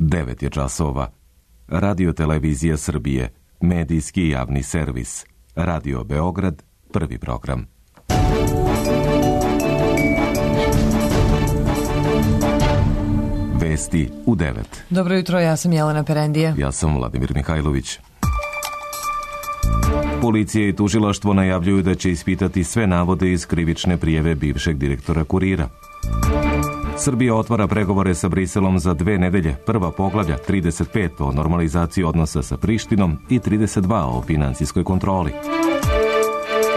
9 je časova. Radio Televizija Srbije, medijski javni servis. Radio Beograd, prvi program. Vesti u 9. Dobro jutro, ja sam Jelena Perendija. Ja sam Vladimir Mihajlović. Policija i tužilaštvo najavljuju da će ispitati sve navode iz krivične prijave bivšeg direktora Kurira. Srbija otvara pregovore sa Briselom za 2 nedelje. Prva poglavlja 35 o normalizaciji odnosa sa Prištinom i 32 o financijskoj kontroli.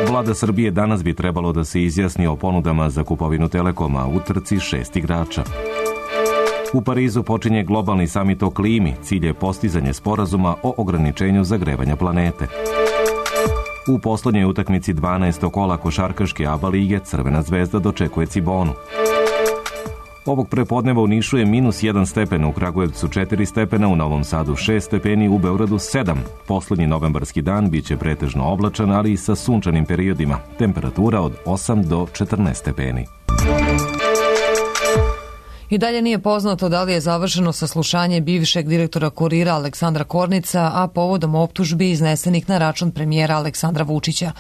Vlada Srbije danas bi trebalo da se izjasni o ponudama za kupovinu Telekoma u trci 6 igrača. U Parizu počinje globalni samit o klimi. Cilj je postizanje sporazuma o ograničenju zagrevanja planete. U poslednjoj utakmici 12. kola košarkaške ABA lige Crvena zvezda dočekuje Cibonu. Ovog prepodneva u Nišu je -1 stepen, u Kragujevcu 4 stepena, u Novom Sadu 6 stepeni, u Beogradu 7. Poslednji novembarski dan biće pretežno oblačan, ali i sa sunčanim periodima. Temperatura od 8 do 14 stepeni. I dalje nije poznato da li je završeno saslušanje bivšeg direktora Kurira Aleksandra Kornica, a povodom optužbi iznesenih na račun premijera Aleksandra Vučića.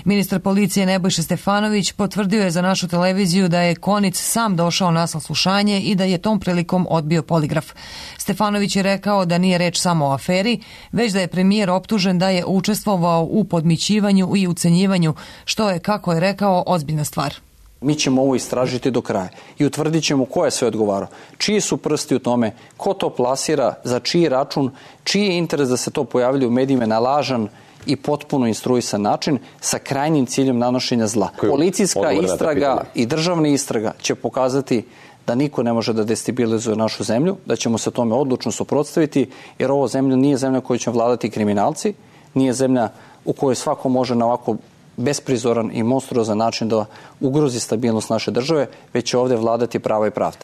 Ministar policije Nebojša Stefanović potvrdio je za našu televiziju da je Kornic sam došao na saslušanje i da je tom prilikom odbio poligraf. Stefanović je rekao da nije reč samo o aferi, već da je premijer optužen da je učestvovao u podmićivanju i ucenjivanju, što je, kako je rekao, ozbiljna stvar. Mi ćemo ovo istražiti do kraja i utvrdit ćemo ko je sve odgovarao, čiji su prsti u tome, ko to plasira, za čiji račun, čiji je interes da se to pojavlja u medijima na lažan i potpuno instruisan način sa krajnjim ciljem nanošenja zla. Policijska istraga i državna istraga će pokazati da niko ne može da destabilizuje našu zemlju, da ćemo se tome odlučno suprotstaviti, jer ovo zemlja nije zemlja koju će vladati kriminalci, nije zemlja u kojoj svako može na ovako besprizoran i monstruozan način da ugrozi stabilnost naše države, već će ovde vladati pravo i pravda.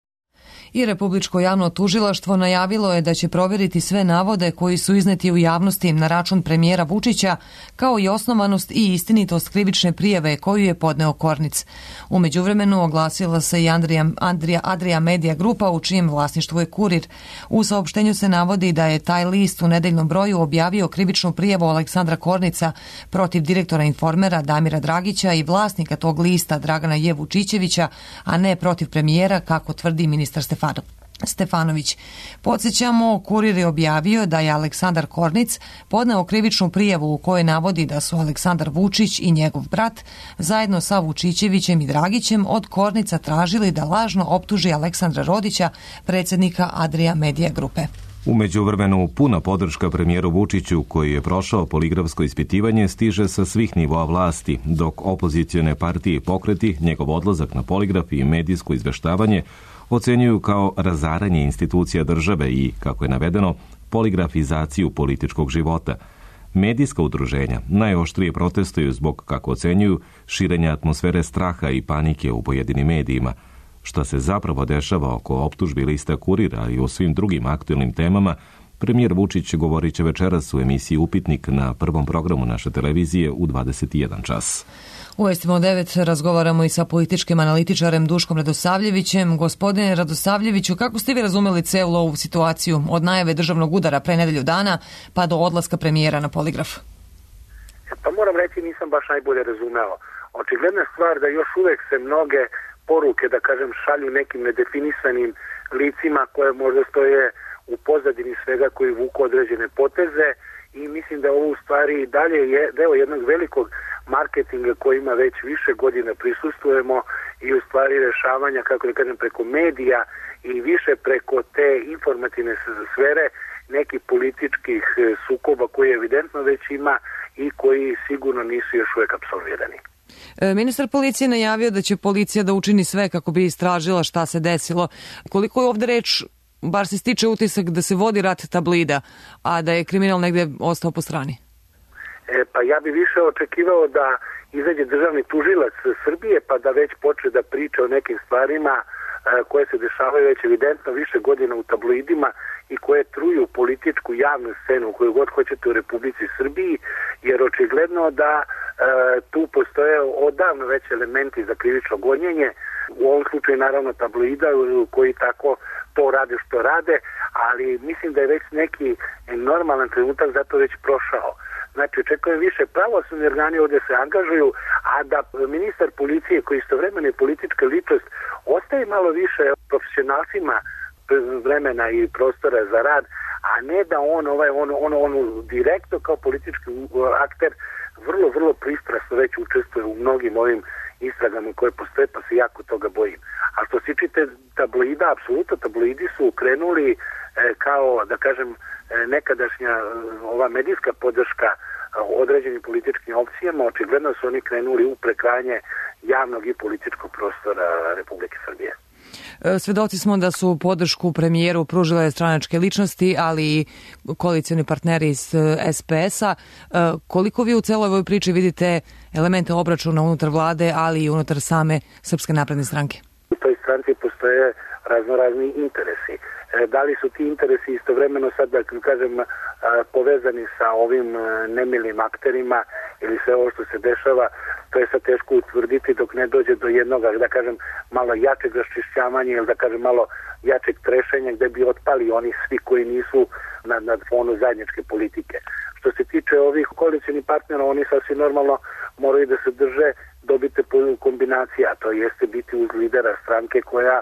I Republičko javno tužilaštvo najavilo je da će provjeriti sve navode koji su izneti u javnosti na račun premijera Vučića, kao i osnovanost i istinitost krivične prijave koju je podneo Kornic. U međuvremenu oglasila se i Adria Media grupa, u čijem vlasništvu je Kurir. U saopštenju se navodi da je taj list u nedeljnom broju objavio krivičnu prijavu Aleksandra Kornica protiv direktora Informera Damira Dragića i vlasnika tog lista Dragana J. Vučićevića, a ne protiv premijera, kako tvrdi ministar Stefanović. Podsjećamo, Kurir je objavio da je Aleksandar Kornic podneo krivičnu prijavu u kojoj navodi da su Aleksandar Vučić i njegov brat zajedno sa Vučićevićem i Dragićem od Kornica tražili da lažno optuži Aleksandra Rodića, predsjednika Adria Media grupe. U međuvremenu puna podrška premijeru Vučiću, koji je prošao poligrafsko ispitivanje, stiže sa svih nivoa vlasti, dok opozicione partije i pokreti njegov odlazak na poligraf i medijsko izveštavanje ocenjuju kao razaranje institucija države i, kako je navedeno, poligrafizaciju političkog života. Medijska udruženja najoštrije protestuju zbog, kako ocenjuju, širenja atmosfere straha i panike u pojedinim medijima. Šta se zapravo dešava oko optužbi lista Kurira i o svim drugim aktuelnim temama, premijer Vučić govorit će večeras u emisiji Upitnik na prvom programu naše televizije u 21 čas. U Vestima 9 razgovaramo i sa političkim analitičarem Duškom Radosavljevićem. Gospodine Radosavljeviću, kako ste vi razumeli celu ovu situaciju od najave državnog udara pre nedelju dana pa do odlaska premijera na poligraf? Pa moram reći, nisam baš najbolje razumeo. Očigledna stvar da još uvek se mnoge poruke, da kažem, šalju nekim nedefinisanim licima koje možda stoje u pozadini svega, koji vuku određene poteze, i mislim da ovo u stvari dalje je deo jednog velikog marketinga kojima već više godina prisustvujemo i u stvari rešavanja, kako da kažem, preko medija i više preko te informativne sfere nekih političkih sukoba koji evidentno već ima i koji sigurno nisu još uvek apsolvirani. Ministar policije najavio da će policija da učini sve kako bi istražila šta se desilo. Koliko je ovde reč, bar se stiče utisak da se vodi rat tablida, a da je kriminal negde ostao po strani? Pa ja bi više očekivao da izađe državni tužilac Srbije pa da već počne da priča o nekim stvarima koje se dešavaju već evidentno više godina u tabloidima i koje truju političku javnu scenu koju god hoćete u Republici Srbiji, jer očigledno da tu postoje odavno već elementi za krivično gonjenje, u ovom slučaju naravno tabloida koji tako to rade što rade, ali mislim da je već neki normalan trenutak zato već prošao. Znači, očekujem više pravosudni organi ovdje se angažuju, a da ministar policije koji istovremeno je politička ličnost ostaje malo više profesionalcima vremena i prostora za rad, a ne da on direktno kao politički akter vrlo pristrasno već učestvuje u mnogim ovim istragama koje postoje, pa se jako toga bojim. A što se tiče tabloida, apsolutno tabloidi su krenuli kao, da kažem, nekadašnja ova medijska podrška određenim političkim opcijama, očigledno su oni krenuli u prekrajanje javnog i političkog prostora Republike Srbije. Svedoci smo da su podršku premijeru pružile stranačke ličnosti, ali i koalicioni partneri iz SPS-a. Koliko vi u celoj ovoj priči vidite elemente obračuna unutar vlade, ali i unutar same Srpske napredne stranke? U toj stranci postoje raznorazni interesi. Da li su ti interesi istovremeno sad, da kažem, povezani sa ovim nemilim akterima ili sve ovo što se dešava, to je sad teško utvrditi dok ne dođe do jednog, da kažem, malo jačeg raščišćavanja ili da kažem malo jačeg trešenja gde bi otpali oni svi koji nisu na fonu zajedničke politike. Što se tiče ovih koalicionih partnera, oni sasvim normalno moraju da se drže dobite kombinacija, to jeste biti uz lidera stranke koja,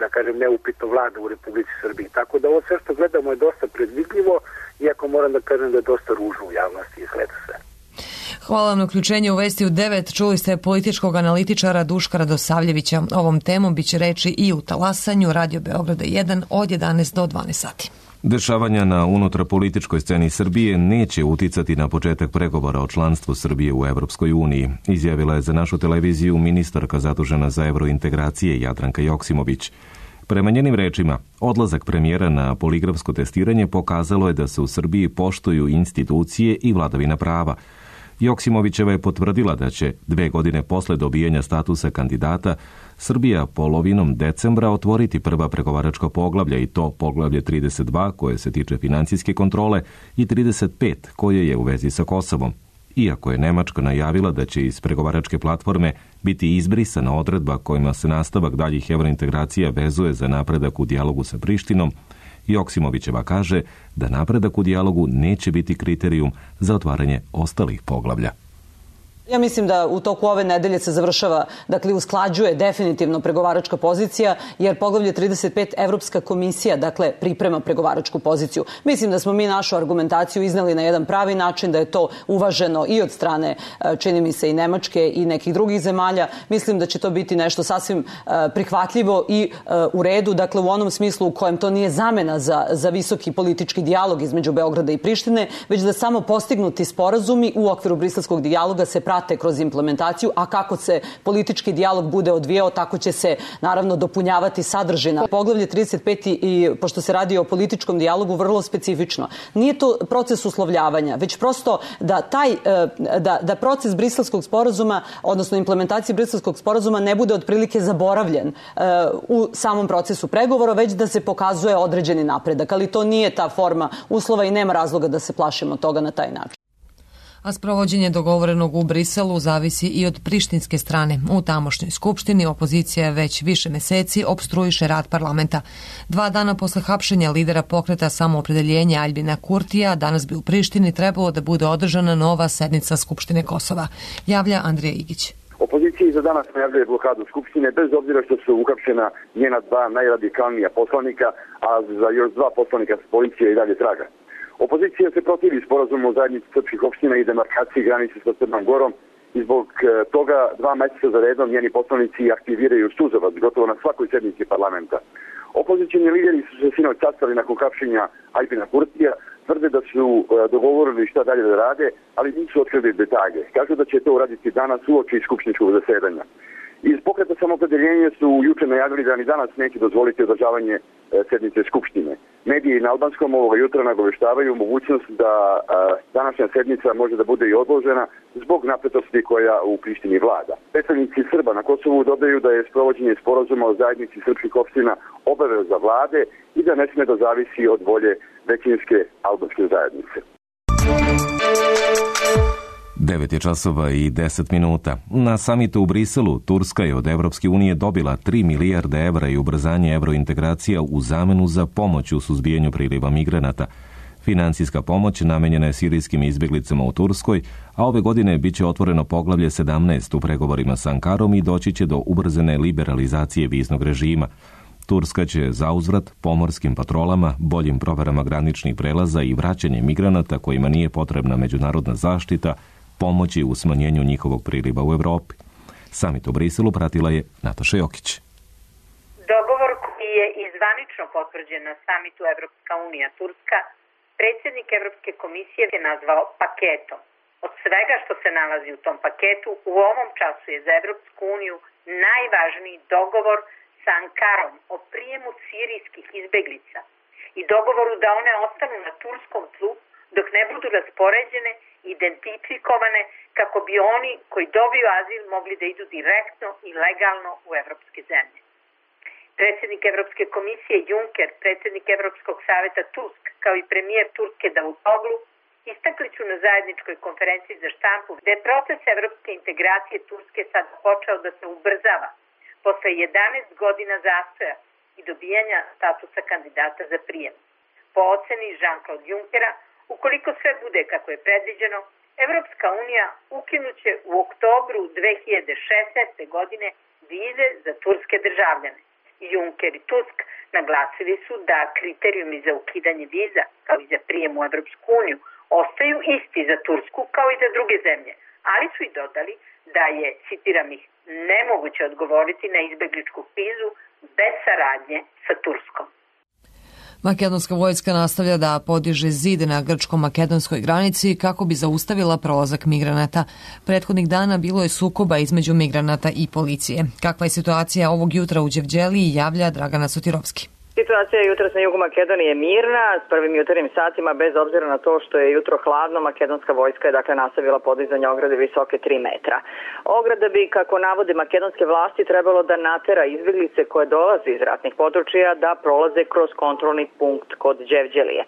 da kažem, neupitno vlada u Republici Srbiji. Tako da ovo sve što gledamo je dosta predvidljivo, iako moram da kažem da je dosta ružno u javnosti izgleda sve. Hvala vam na uključenje u Vesti u 9. Čuli ste političkog analitičara Duška Radosavljevića. Ovom temom biće reči i u talasanju Radio Beograda 1 od 11 do 12 sati. Dešavanja na unutarpolitičkoj sceni Srbije neće uticati na početak pregovora o članstvu Srbije u Evropskoj uniji, izjavila je za našu televiziju ministarka zadužena za evrointegracije Jadranka Joksimović. Prema njenim rečima, odlazak premijera na poligrafsko testiranje pokazalo je da se u Srbiji poštuju institucije i vladavina prava. Joksimovićeva je potvrdila da će 2 godine posle dobijanja statusa kandidata Srbija polovinom decembra otvoriti prva pregovaračka poglavlja i to poglavlje 32 koje se tiče financijske kontrole i 35 koje je u vezi sa Kosovom. Iako je Nemačka najavila da će iz pregovaračke platforme biti izbrisana odredba kojima se nastavak daljih evrointegracija vezuje za napredak u dijalogu sa Prištinom, Joksimovićeva kaže da napredak u dijalogu neće biti kriterijum za otvaranje ostalih poglavlja. Ja mislim da u toku ove nedelje se završava, dakle usklađuje definitivno pregovaračka pozicija, jer poglavlje 35 Evropska komisija, dakle, priprema pregovaračku poziciju. Mislim da smo mi našu argumentaciju izneli na jedan pravi način, da je to uvaženo i od strane, čini mi se, i Nemačke i nekih drugih zemalja. Mislim da će to biti nešto sasvim prihvatljivo i u redu, dakle u onom smislu u kojem to nije zamena za visoki politički dijalog između Beograda i Prištine, već da samo postignuti sporazumi u okviru briselskog dijaloga se prate kroz implementaciju, a kako se politički dijalog bude odvijao, tako će se naravno dopunjavati sadržina. Poglavlje 35 i pošto se radi o političkom dijalogu, vrlo specifično. Nije to proces uslovljavanja, već prosto da proces briselskog sporazuma, odnosno implementacije briselskog sporazuma ne bude otprilike zaboravljen u samom procesu pregovora, već da se pokazuje određeni napredak. Ali to nije ta forma uslova i nema razloga da se plašimo toga na taj način. A sprovođenje dogovorenog u Briselu zavisi i od prištinske strane. U tamošnjoj skupštini opozicija već više meseci opstruiše rad parlamenta. 2 dana posle hapšenja lidera pokreta Samoopredeljenja Aljbina Kurtija, danas bi u Prištini trebalo da bude održana nova sednica Skupštine Kosova. Javlja Andrija Igić. Opozicija za danas najavljuje blokadu Skupštine, bez obzira što su uhapšena njena 2 najradikalnija poslanika, a za još 2 poslanika policija i dalje traga. Opozicija se protivi sporazumu o zajednici srpskih opština i demarkaciji granice sa Crnom Gorom i zbog toga 2 meseca za redom njeni poslanici aktiviraju suzovac gotovo na svakoj sednici parlamenta. Opozicijni lideri su se sinoć sastali nakon hapšenja Aljbina Kurtija, tvrde da su dogovorili šta dalje da rade, ali nisu otkrili detalje. Kažu da će to uraditi danas uoči skupštinskog zasedanja. Iz pokreta Samoopredeljenja su juče najavili da ni danas neće dozvoliti održavanje sednice Skupštine. Mediji na albanskom ovoga jutra nagoveštavaju mogućnost da današnja sednica može da bude i odložena zbog napetosti koja u Prištini vlada. Predstavnici Srba na Kosovu dodaju da je sprovođenje sporazuma o zajednici srpskih opština obaveza vlade i da ne sme da zavisi od volje većinske albanske zajednice. 9:10. Na samitu u Briselu Turska je od Evropske unije dobila 3 milijarde evra i ubrzanje evrointegracija u zamenu za pomoć u suzbijanju priliva migranata. Financijska pomoć namenjena je sirijskim izbjeglicama u Turskoj, a ove godine bit će otvoreno poglavlje 17 u pregovorima s Ankarom i doći će do ubrzane liberalizacije viznog režima. Turska će zauzvrat pomorskim patrolama, boljim proverama graničnih prelaza i vraćanje migranata kojima nije potrebna međunarodna zaštita pomoći u smanjenju njihovog priliva u Evropi. Samit u Briselu pratila je Nataša Jokić. Dogovor koji je i zvanično potvrđen na samitu Evropska unija Turska, predsjednik Evropske komisije je nazvao paketom. Od svega što se nalazi u tom paketu, u ovom času je za Evropsku uniju najvažniji dogovor sa Ankarom o prijemu sirijskih izbeglica i dogovoru da one ostanu na turskom tlu dok ne budu raspoređene, identifikovane kako bi oni koji dobiju azil mogli da idu direktno i legalno u evropske zemlje. Predsjednik Evropske komisije Juncker, predsjednik Evropskog savjeta Tusk, kao i premijer Turske Davutoglu, istakli su na zajedničkoj konferenciji za štampu da je proces evropske integracije Turske sad počeo da se ubrzava posle 11 godina zastoja i dobijanja statusa kandidata za prijem. Po oceni Jean-Claude Junckera, ukoliko sve bude kako je predviđeno, Evropska unija ukinuće u oktobru 2016. godine vize za turske državljane. Juncker i Tusk naglasili su da kriterijumi za ukidanje viza, kao i za prijem u Evropsku uniju, ostaju isti za Tursku kao i za druge zemlje, ali su i dodali da je, citiram ih, nemoguće odgovoriti na izbegličku krizu bez saradnje sa Turskom. Makedonska vojska nastavlja da podiže zid na grčko-makedonskoj granici kako bi zaustavila prolazak migranata. Prethodnih dana bilo je sukoba između migranata i policije. Kakva je situacija ovog jutra u Đevđeliji, javlja Dragana Sotirovski. Situacija jutros na jugu Makedonije je mirna, s prvim jutarnjim satima, bez obzira na to što je jutro hladno, makedonska vojska je dakle nastavila podizanje ograde visoke 3 metra. Ograda bi, kako navode makedonske vlasti, trebalo da natera izbjeglice koje dolaze iz ratnih područja da prolaze kroz kontrolni punkt kod Đevđelije.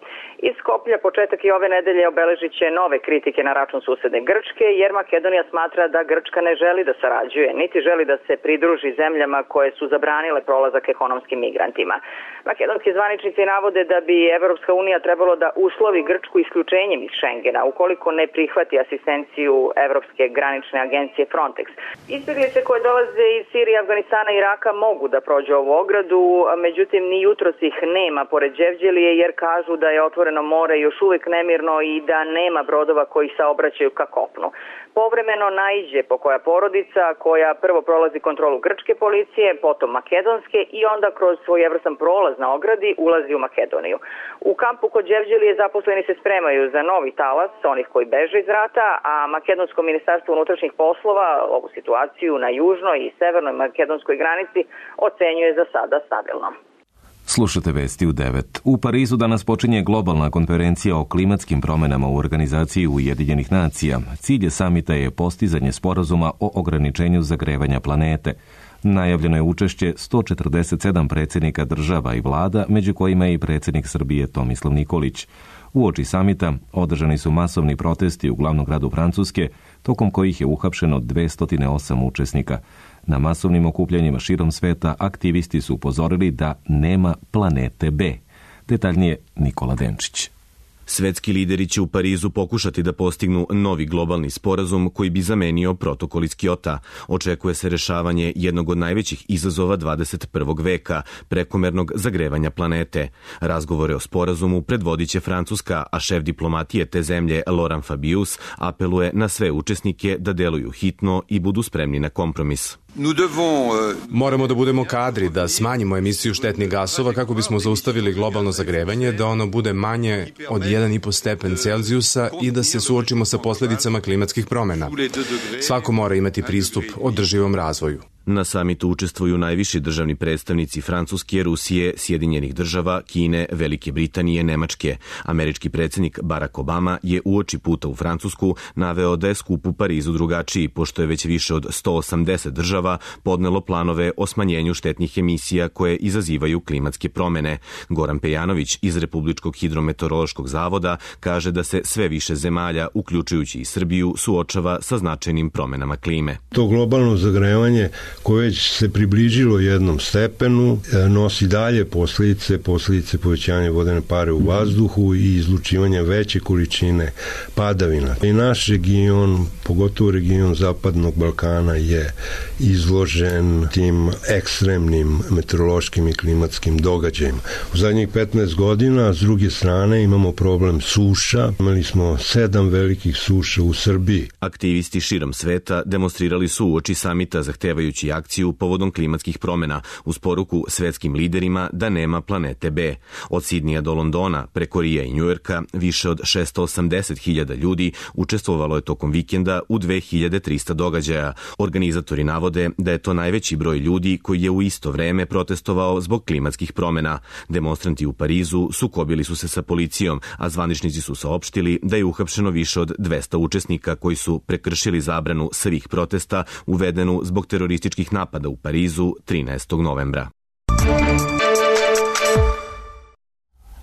Iz Skoplja početak i ove nedelje obeležit će nove kritike na račun susedne Grčke, jer Makedonija smatra da Grčka ne želi da sarađuje, niti želi da se pridruži zemljama koje su zabranile prolazak ekonomskim migrantima. Makedonski zvaničnici navode da bi Evropska unija trebalo da uslovi Grčku isključenjem iz Schengena ukoliko ne prihvati asistenciju Evropske granične agencije Frontex. Izbjeglice koje dolaze iz Sirije, Afganistana i Iraka mogu da prođu ovu ogradu, međutim ni jutros ih nema pored Đevđelije jer kažu da je otvoreno more još uvijek nemirno i da nema brodova koji saobraćaju ka kopnu. Povremeno naiđe pokoja porodica koja prvo prolazi kontrolu grčke policije, potom makedonske i onda kroz svojevrstan prolaz na ogradi ulazi u Makedoniju. U kampu kod Đevđelije zaposleni se spremaju za novi talas onih koji beže iz rata, a Makedonsko ministarstvo unutrašnjih poslova ovu situaciju na južnoj i severnoj makedonskoj granici ocenjuje za sada stabilno. Slušate vesti u 9. U Parizu danas počinje globalna konferencija o klimatskim promjenama u organizaciji Ujedinjenih nacija. Cilj samita je postizanje sporazuma o ograničenju zagrevanja planete. Najavljeno je učešće 147 predsjednika država i vlada, među kojima je i predsjednik Srbije Tomislav Nikolić. Uoči samita održani su masovni protesti u glavnom gradu Francuske, tokom kojih je uhapšeno 208 učesnika. Na masovnim okupljanjima širom sveta aktivisti su upozorili da nema planete B. Detaljnije Nikola Denčić. Svetski lideri će u Parizu pokušati da postignu novi globalni sporazum koji bi zamenio protokol iz Kjota. Očekuje se rešavanje jednog od najvećih izazova 21. veka, prekomernog zagrevanja planete. Razgovore o sporazumu predvodit će Francuska, a šef diplomatije te zemlje Laurent Fabius apeluje na sve učesnike da deluju hitno i budu spremni na kompromis. Moramo da budemo kadri, da smanjimo emisiju štetnih gasova kako bismo zaustavili globalno zagrevanje, da ono bude manje od 1,5 stepen Celzijusa i da se suočimo sa posljedicama klimatskih promjena. Svako mora imati pristup održivom razvoju. Na samitu učestvuju najviši državni predstavnici Francuske, Rusije, Sjedinjenih država, Kine, Velike Britanije, Nemačke. Američki predsjednik Barack Obama je uoči puta u Francusku naveo da je skup u Parizu drugačiji, pošto je već više od 180 država podnelo planove o smanjenju štetnih emisija koje izazivaju klimatske promene. Goran Pejanović iz Republičkog hidrometeorološkog zavoda kaže da se sve više zemalja, uključujući i Srbiju, suočava sa značajnim promenama klime. To globalno zagrevanje koje već se približilo jednom stepenu nosi dalje posljedice povećanja vodene pare u vazduhu i izlučivanja veće količine padavina. I naš region, pogotovo region Zapadnog Balkana, je izložen tim ekstremnim meteorološkim i klimatskim događajima. U zadnjih 15 godina, s druge strane, imamo problem suša. Imali smo 7 velikih suša u Srbiji. Aktivisti širom sveta demonstrirali su uoči samita zahtevajući akciju povodom klimatskih promena uz poruku svetskim liderima da nema planete B. Od Sidnija do Londona, preko Rija i Njujorka, više od 680.000 ljudi učestvovalo je tokom vikenda u 2300 događaja. Organizatori navode da je to najveći broj ljudi koji je u isto vreme protestovao zbog klimatskih promena. Demonstranti u Parizu sukobili su se sa policijom, a zvaničnici su saopštili da je uhapšeno više od 200 učesnika koji su prekršili zabranu svih protesta uvedenu zbog terorističkih napada u Parizu 13. novembra.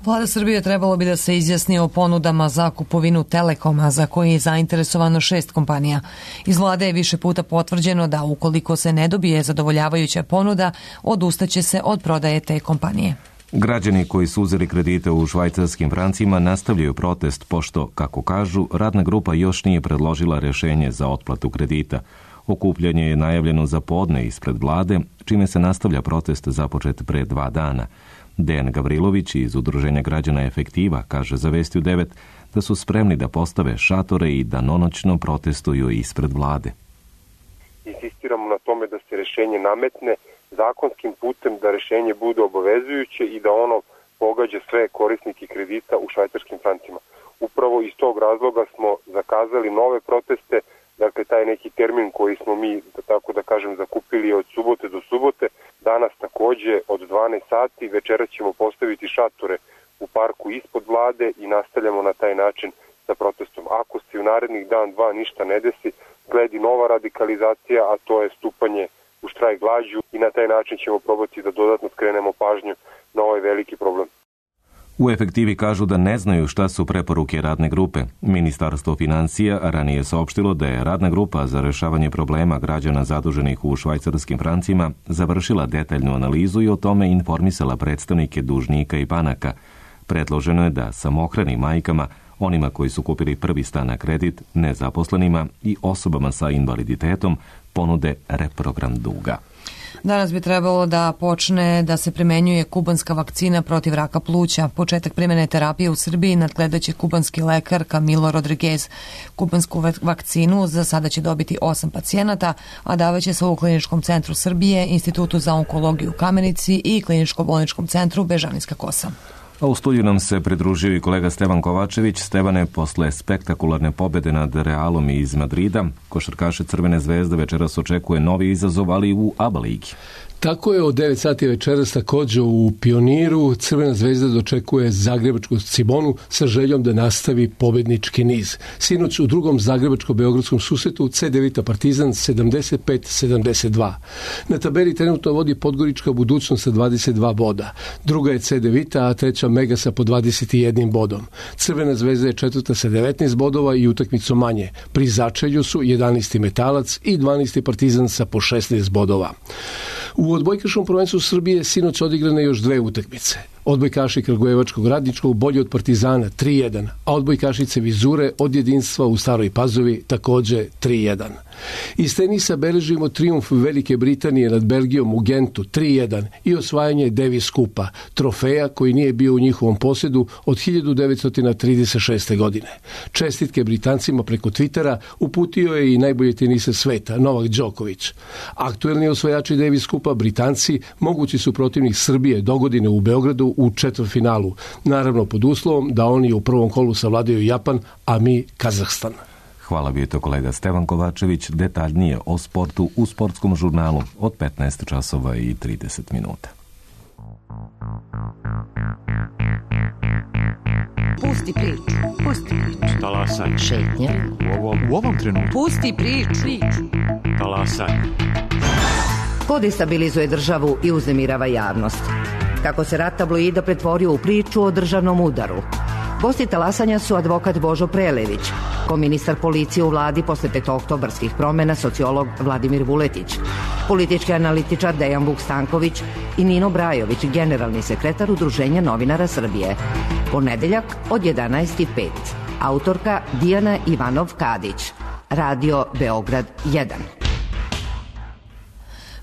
Vlada Srbije trebalo bi da se izjasni o ponudama za kupovinu Telekoma, za koje je zainteresovano 6 kompanija. Iz vlade je više puta potvrđeno da ukoliko se ne dobije zadovoljavajuća ponuda, odustaće se od prodaje te kompanije. Građani koji su uzeli kredite u švajcarskim francima nastavljaju protest pošto, kako kažu, radna grupa još nije predložila rješenje za otplatu kredita. Okupljanje je najavljeno za podne ispred vlade, čime se nastavlja protest započet pre 2 dana. Dejan Gavrilović iz Udruženja građana Efektiva kaže za Vesti u 9 da su spremni da postave šatore i danonoćno protestuju ispred vlade. Insistiramo na tome da se rješenje nametne zakonskim putem, da rješenje bude obavezujuće i da ono pogađa sve korisnike kredita u švajcarskim francima. Upravo iz tog razloga smo zakazali nove proteste, dakle taj neki termin koji smo mi, tako da kažem, zakupili od subote do subote. Danas takođe od 12 sati, večera ćemo postaviti šatore u parku ispod vlade i nastavljamo na taj način sa protestom. Ako se u narednih dan, 2 ništa ne desi, sledi nova radikalizacija, a to je stupanje u štrajk glađu i na taj način ćemo probati da dodatno skrenemo pažnju na ovaj veliki problem. U Efektivi kažu da ne znaju šta su preporuke radne grupe. Ministarstvo financija ranije saopštilo da je radna grupa za rešavanje problema građana zaduženih u švajcarskim francima završila detaljnu analizu i o tome informisala predstavnike dužnika i banaka. Predloženo je da samohranim majkama, onima koji su kupili prvi stan na kredit, nezaposlenima i osobama sa invaliditetom ponude reprogram duga. Danas bi trebalo da počne da se primenjuje kubanska vakcina protiv raka pluća. Početak primjene terapije u Srbiji nadgledaće kubanski lekar Camilo Rodriguez. Kubansku vakcinu za sada će dobiti 8 pacijenata, a davaće se u Kliničkom centru Srbije, Institutu za onkologiju u Kamenici i Kliničko-bolničkom centru Bežanijska Kosa. A u studiju nam se pridružio i kolega Stevan Kovačević. Stevane, posle spektakularne pobjede nad Realom iz Madrida, košarkaše Crvene zvezde večeras očekuje novi izazov, ali u ABA ligi. Tako je, od 9 sati večeras također u Pioniru Crvena zvezda dočekuje zagrebačku Cibonu sa željom da nastavi pobednički niz. Sinoć u drugom zagrebačko-beogradskom susretu C9 Partizan 75-72. Na tabeli trenutno vodi Podgorička Budućnost sa 22 boda. Druga je C9, a treća Megasa po 21 bodom. Crvena zvezda je četvrta sa 19 bodova i utakmicu manje. Pri začelju su 11. Metalac i 12. Partizan sa po 16 bodova. U odbojkaškom prvenstvu Srbije sinoć odigrane još 2 utakmice. Odbojkaši Kragujevačkog Radničkog bolji od Partizana 3-1, a odbojkašice Vizure od Jedinstva u Staroj Pazovi također 3-1. Iz tenisa beležimo trijumf Velike Britanije nad Belgijom u Gentu 3-1 i osvajanje Davis Kupa, trofeja koji nije bio u njihovom posjedu od 1936. godine. Čestitke Britancima preko Twittera uputio je i najbolji teniser sveta, Novak Đoković. Aktuelni osvajači Davis Kupa, Britanci, mogući su protivnik Srbije dogodine u Beogradu u četvrtfinalu, naravno pod uslovom da oni u prvom kolu savladaju Japan, a mi Kazahstan. Hvala, bio je to kolega Stevan Kovačević. Detaljnije o sportu u sportskom žurnalu od 15 časova i 30 minuta. Pusti priču. Pusti priču. Talasaj. Šetnja. U ovom trenutku. Pusti priču. Talasaj. Ko destabilizuje državu i uznemirava javnost? Kako se rat tabloida pretvorio u priču o državnom udaru? Gosti talasanja su advokat Božo Prelević, koministar policije u vladi posle petooktobarskih promena sociolog Vladimir Vuletić, politički analitičar Dejan Vuk Stanković i Nino Brajović, generalni sekretar Udruženja novinara Srbije. Ponedeljak od 11:05. Autorka Dijana Ivanov-Kadić. Radio Beograd 1.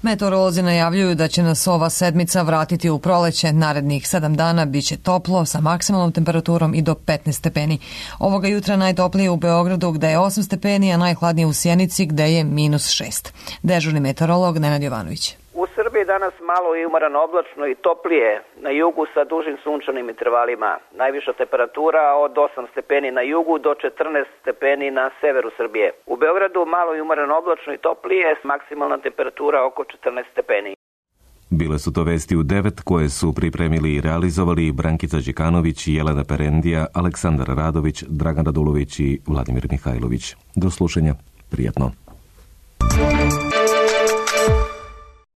Meteorolozi najavljuju da će nas ova sedmica vratiti u proleće. Narednih 7 dana biće toplo sa maksimalnom temperaturom i do 15 stepeni. Ovoga jutra najtoplije u Beogradu gde je 8 stepeni, a najhladnije u Sjenici gde je -6. Dežurni meteorolog Nenad Jovanović. U Srbiji danas malo i umarano oblačno i toplije, na jugu sa dužim sunčanim intervalima. Najviša temperatura od 8 stepeni na jugu do 14 stepeni na severu Srbije. U Beogradu malo i umarano oblačno i toplije, maksimalna temperatura oko 14 stepeni. Bile su to vesti u 9 koje su pripremili i realizovali Brankica Đikanović, Jelena Perendija, Aleksandar Radović, Dragan Radulović i Vladimir Mihajlović. Do slušanja, prijatno.